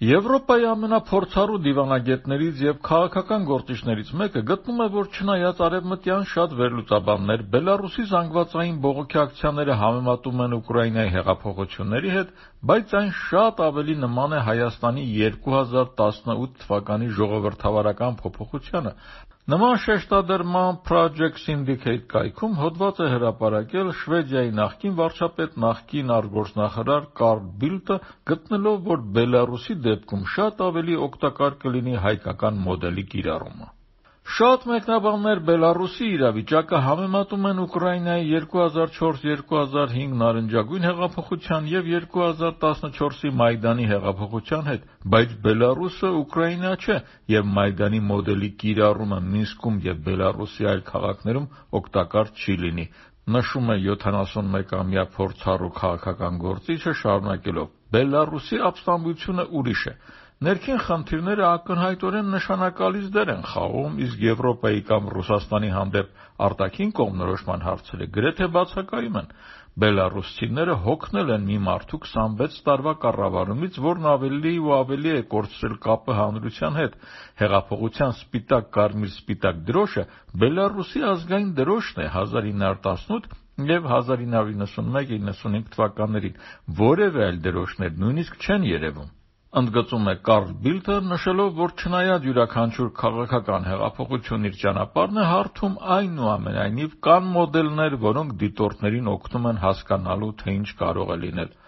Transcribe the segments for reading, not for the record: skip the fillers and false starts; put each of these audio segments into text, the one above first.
Եվրոպայի ամենափորձառու դիվանագետներից և քաղաքական գործիչներից մեկը գտնում է, որ չնայած արևմտյան շատ վերլուծաբաններ Բելառուսի զանգվածային բողոքի ակցիաները համեմատում են Ուկրաինայի հեղափոխությունների հետ, բայց այն շատ ավելի նման է Հայաստանի 2018 թվականի ժողովրդավարական փոփոխությանը։ Նման շեշտադրման Project Syndicate կայքում հոդված է հրապարակել Շվեդիայի նախկին վարչապետ, նախկին արտգործնախարար Կարլ Բիլդտը, գտնելով, որ Բելառուսի դեպքում շատ ավելի օգտակար կլինի հայկական մոդելի կիրառումը։ Շատ մեկնաբաններ Բելառուսի իրավիճակը համեմատում են Ուկրաինայի 2004-2005 նարնջագույն հեղափոխության և 2014-ի Մայդանի հեղափոխության հետ, բայց Բելառուսը Ուկրաինա չէ, և Մայդանի մոդելի կիրառումը Մինսկում և Բելառուսի այլ քաղաքներում օգտակար չի լինի, նշում է 71-ամյա փորձառու քաղաքական գործիչը, շարունակելով. Բելառուսի ապստամբությունը ուրիշ է։ Ներքին խնդիրները ակնհայտորեն նշանակալից դեր են խաղում, իսկ Եվրոպայի կամ Ռուսաստանի հանդեպ արտաքին կողմնորոշման հարցերը գրեթե բացակայում են։ Բելառուսցիները հոգնել են մի մարդու 26 տարվա կառավարումից, որն ավելի ու ավելի է կորցրել կապը հանրության հետ։ Հեղափոխության սպիտակ-կարմիր-սպիտակ դրոշը Բելառուսի ազգային դրոշն է 1918 և 1991-95 թվականներին, որևէ այլ դրոշներ նույնիսկ չեն երևում։ Ընդգծում է Կարլ Բիլդտը, նշելով, որ չնայած յուրաքանչյուր քաղաքական հեղափոխություն իր ճանապարհն է հարթում, այնուամենայնիվ կան մոդելներ, որոնք դիտորդներին օգնում են հասկանալու, թե ինչ կարող է լինել։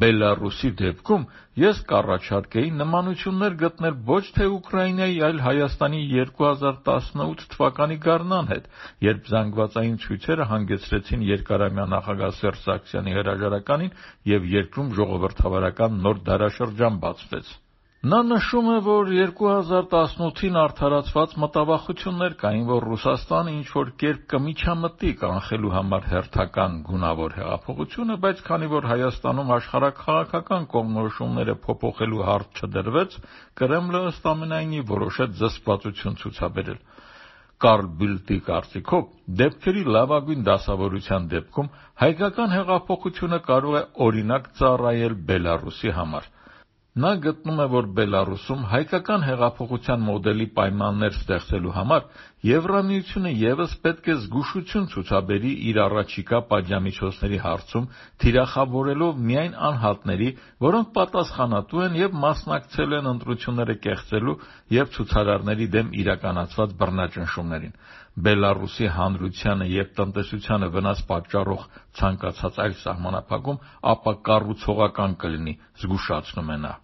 Բելառուսի դեպքում ես կառաջարկեի նմանություններ գտնել ոչ թե Ուկրաինայի, այլ Հայաստանի 2018 թվականի գարնան հետ, երբ զանգվածային ցույցերը հանգեցրին երկարամյա նախագահ Սերժ Սարգսյանի հրաժարականին և երկրում ժողովրդավարական նոր դարաշրջան բացվեց։ Նա նշում է, որ 2018-ին արդարացված մտավախություններ կային, որ Ռուսաստանը ինչ-որ կերպ կմիջամտի կանխելու համար հերթական գունավոր հեղափոխությունը, բայց քանի որ Հայաստանում աշխարհաքաղաքական կողմնորոշումները փոփոխելու հարց չդրվեց, Կրեմլը ըստ ամենայնի որոշեց զսպվածություն ցուցաբերել։ Կարլ Բիլդտի կարծիքով, դեպքերի լավագույն դասավորության դեպքում հայկական հեղափոխությունը կարող է օրինակ ծառայել Բելառուսի համար։ Նա գտնում է, որ Բելառուսում հայկական հեղափոխության մոդելի պայմաններ ստեղծելու համար Եվրամիությունը ևս պետք է զգուշություն ցուցաբերի իր առաջիկա պատժամիջոցների հարցում, թիրախավորելով միայն անհատների, որոնք պատասխանատու են և մասնակցել են ընտրությունները կեղծելու և ցուցարարների դեմ իրականացված բռնաճնշումներին։ Բելառուսի հանրությանը և տնտեսությանը վնաս պատճառող ցանկացած այլ սահմանափակում ապակառուցողական կլինի, զգուշացնում է նա։